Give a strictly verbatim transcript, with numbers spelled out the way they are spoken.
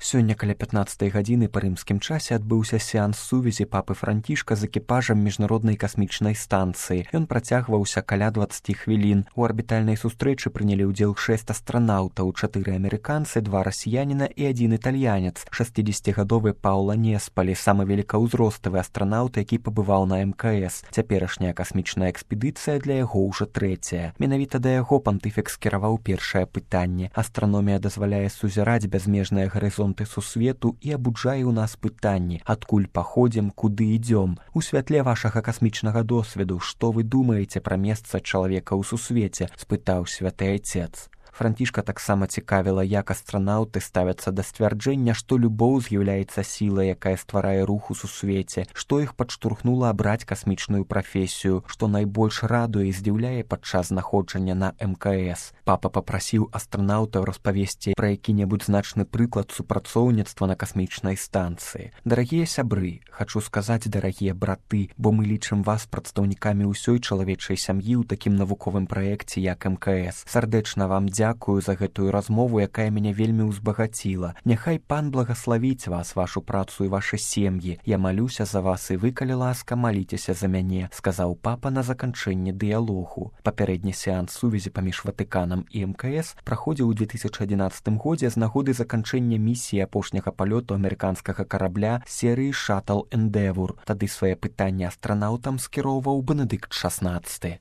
Сёння каля пятнаццатай гадзіны па рымскім часе адбыўся сеанс сувязі папы Францішка з экіпажам міжнароднай касмічнай станцыі. Ён працягваўся каля дваццаці хвілін. У арбітальнай сустрэчы прынялі ўдзел шэсць астранаўтаў, чатыры амерыканцы, два расіяніна і адзін італьянец. шасцідзесяцігадовы Паўла Неспалі, самы велікаўзроставы астранаўт, які пабываў на эм ка эс. Цяперашняя касмічная экспедыцыя для яго ўжо трэцяя. Менавіта да яго пантыфік скіраваў першае пытанне. Астраномія дазваляе сузіраць бязмежныя гарызонты сусвету і абуджае ў нас пытанні: адкуль паходзім, куды ідзём. У святле вашага касмічнага досведу, што вы думаеце пра месца чалавека ў сусвеце, спытаў святы айцец. Францішка таксама цікавіла, як астранаўты ставяцца да сцвярджэння, што любоў з'яўляецца сілай, якая стварае рух у сусвеце, што іх падштурхнула абраць касмічную прафесію, што найбольш радуе і здзіўляе падчас знаходжання на эм ка эс. Папа папрасіў астранаўтаў распавесці пра які-небудзь значны прыклад супрацоўніцтва на касмічнай станцыі. Дарагія сябры, хачу сказаць, дарагія браты, бо мы лічым вас прадстаўнікамі ўсёй чалавечай сям'і ў такім навуковым праекце, як эм ка эс. Сардэчна вам дзякую. Дзякую за гэтую размову, якая мяне вельмі ўзбагаціла. Няхай пан благаславіць вас, вашу працу і вашы сем'і. Я малюся за вас, і вы, калі ласка, маліцеся за мяне, сказаў папа на заканчэнне дыялогу. Папярэдні сеанс сувязі паміж Ватыканам і эм ка эс праходзіў у две тысячы адзінаццатым годзе з нагоды заканчэння місіі апошняга палёту амерыканскага карабля серыі «Шаттл Эндевур». Тады свае пытанні астранаўтам скіроўваў Бенедыкт шаснаццаты.